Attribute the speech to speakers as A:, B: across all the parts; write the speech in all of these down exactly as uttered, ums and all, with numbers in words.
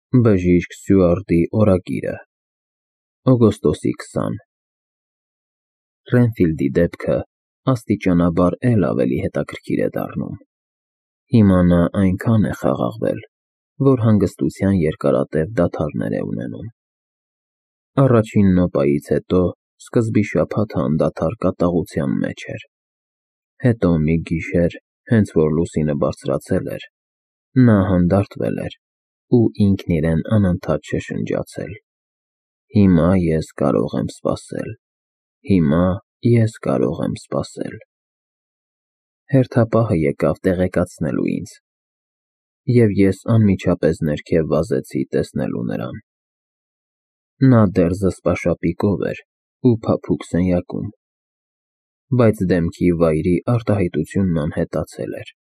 A: Բժիշկ Սյուարտի օրագիրը, օգոստոսի քսան Ռենֆիլդի դեպքը աստիճանաբար էլ ավելի հետաքրքիր է դառնում։ Հիմա նա այնքան է խաղաղվել, որ հանգստության երկարատև դադարներ է ունենում։ Առաջին նոպայից հետո սկզբի շաբաթը անդադար կատաղության մեջ էր։ Հետո մի գիշեր, հենց որ լուսինը բարձրացել էր, նա հանդարտվել էր ու ինքն իրեն անընդհատ շշնջացել. «Հիմա ես կարող եմ սպասել, հիմա ես կարող եմ սպասել»։ Հերթապահը եկավ տեղեկացնելու ինձ, և ես անմիջապես ներքև վազեցի տեսնելու նրան։ Նա դեռ զսպաշապիկով էր ու փափուկ սենյակում, բայց դեմքի վայրի արտահայտությունն անհետացել էր,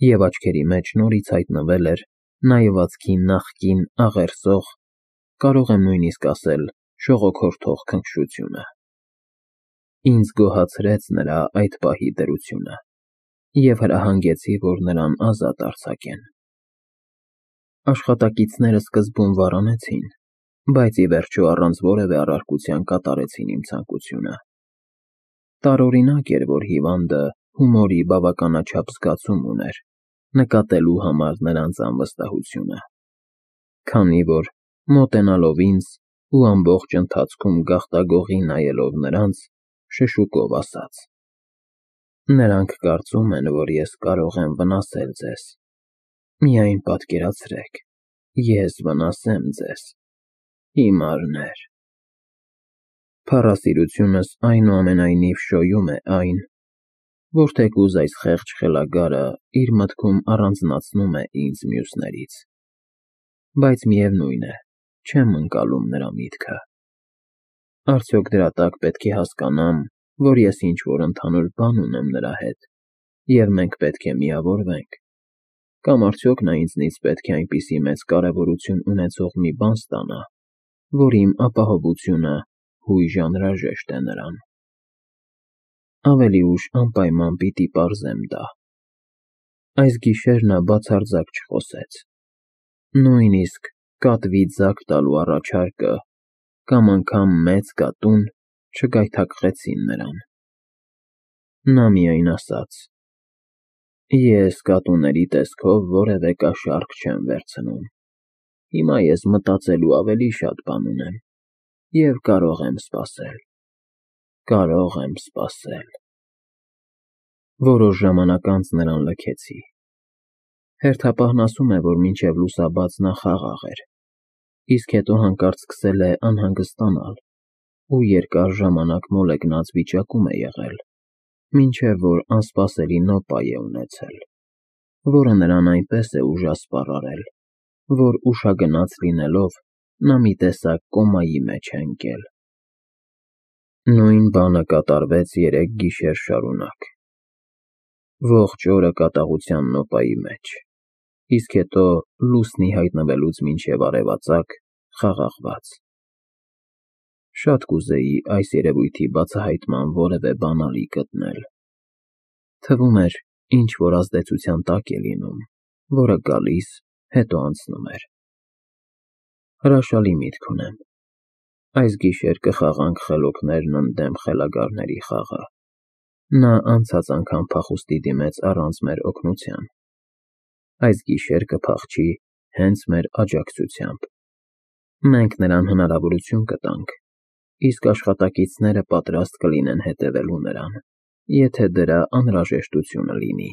A: և աչքերի մեջ նորից հայտնվել էր նայվածքի նախկին աղերսող, կարող եմ նույնիսկ ասել շողոքորթող քնքշությունը։ Ինձ գոհացրեց նրա այդ պահի դրությունը, և հրահանգեցի, որ նրան ազատ արձակեն։ Աշխատակիցները սկզբում վառանեցին, բայց ի վերջո առանց որևէ առարկության կատարեցին իմ ցանկությունը։ Տարօրինակ էր, որ հիվանդը հումորի բավականաչափ զգացում ուներ, նկատելու համար նրանց անվստահությունը, քանի որ, մոտենալով ինձ ու ամբողջ ընթացքում գաղտագողի նայելով նրանց, շշուկով ասաց. «Նրանք կարծում են, որ ես կարող եմ վնասել ձեզ։ Միայն պատկերացրեք, ես վնասեմ ձեզ, հիմարներ»։ Փառասիրությունս այնուամենայնիվ շոյում է այն, որ թեկուզ այս խեղճ խելագարը իր մտքում առանձնացնում է ինձ մյուսներից, բայց միևնույն է, չեմ ընկալում նրա միտքը։ Արդյոք դրա տակ պետք է հասկանամ, որ ես ինչ-որ ընդհանուր բան ունեմ նրա հետ, և մենք պետք է միավորվենք, կամ արդյոք նա ինձնից պետք է այնպիսի մեծ կարևորություն ունեցող մի բան ստանա, որ իմ ապահովությունը հույժ անհրաժեշտ է նրան։ Ավելի ուշ անպայման պիտի պարզեմ դա։ Այս գիշեր նա բացարձակ չխոսեց, նույնիսկ կատվի ձագ տալու առաջարկը կամ անգամ մեծ կատուն չգայթակղեցին նրան։ Նա միայն ասաց. «Ես կատուների տեսքով որևէ կաշառք չեմ վերցնում, հիմա ես մտածելու ավելի շատ բան ունեմ և կարող եմ սպասել, կարող եմ սպասել»։ Որոշ ժամանակ անց նրան լքեցի։ Հերթապահն ասում է, որ մինչև լուսաբաց նա խաղաղ էր, իսկ հետո հանկարծ սկսել է անհանգստանալ ու երկար ժամանակ մոլեգնած վիճակում է եղել, մինչև որ անսպասելի նոպայ է ունեցել, որը նրան այնպես է ուժասպառ արել, որ ուշագնաց լինելով, նա մի տեսակ կոմայի մեջ է ընկել։ Նույն բանը կատարվեց երեք գիշեր շարունակ։ Ողջ օրը կատաղության նոպայի մեջ, իսկ հետո լուսնի հայտնվելուց մինչև արևածագ խաղաղված։ Շատ կուզեի այս երևույթի բացահայտման որևէ բանալի գտնել։ Թվում էր, ինչ-որ ազդեցության տակ է լինում, որը գալիս, հետո անցնում էր։ Հրաշալի միտք ունեմ։ Այս գիշեր կխաղանք խելոքներն ընդդեմ խելագարների խաղը։ Նա անցած անգամ փախուստի դիմեց առանց մեր օգնության։ Այս գիշեր կփախչի հենց մեր աջակցությամբ։ Մենք նրան հնարավորություն կտանք, իսկ աշխատակիցները պատրաստ կլինեն հետևելու նրան, եթե դրա անհրաժեշտությունը լինի։